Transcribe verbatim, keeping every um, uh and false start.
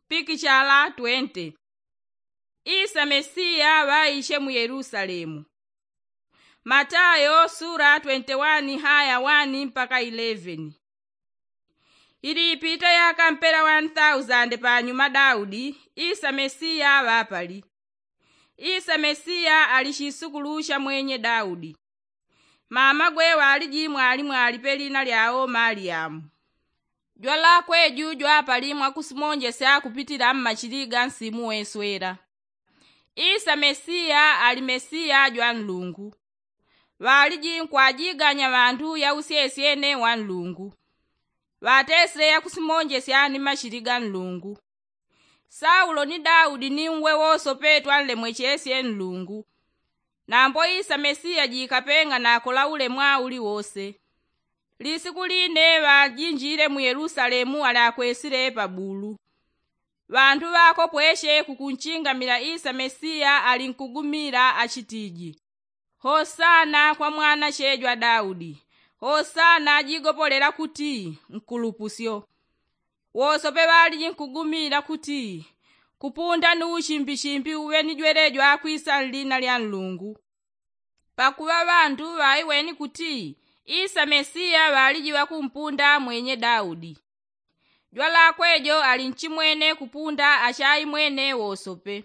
Pikichala twente. Isa mesiya ŵaiche mu yelusalemu. Matayo sula twente wani haya wani mpaka ileveni. Ili ipita yaka mpela wani thausande panyuma daudi, isa mesiya ŵapali. Isa mesiya ali chisukulu cha mwenye daudi. Mamagwe ŵaliji mwali mwali pelina lyao maliyamu. Jwalakwe ju jwapali mwakusimonjesya kupitila mmachili ga nsimu weswela. Isa mesiya ali mesiya jwa nlungu. Ŵaliji nkwajiganya ŵantu yausyesyene wa nlungu. Ŵatesile yakusimonjesya ni machili ga nlungu. Saulo ni daudi ni uwe wosope twanlemwechesye nlungu. Nambo isa mesiya jikapeng'ana akola ulemwa uliwose. Lisiku line ŵajinjile mu yelusalemu ali akwesile pabulu. Ŵantu ŵakopweshe kukunchingamila isa mesiya ali nkugumila achitiji, hosana kwa mwanache jwa daudi. Hosana jigopolela kuti nkulupusyo. Wosope ŵaliji nkugumila kuti, kupunda ni uchimbichimbi uŵe ni jwelejwa kwisa nlina lya nlungu. Pakuŵa ŵantu ŵaiweni kuti isa mesiya ŵaliji ŵakumpunda mwenye daudi. Jwalakwe jo ali nchimwene kupunda achaimwene wosope.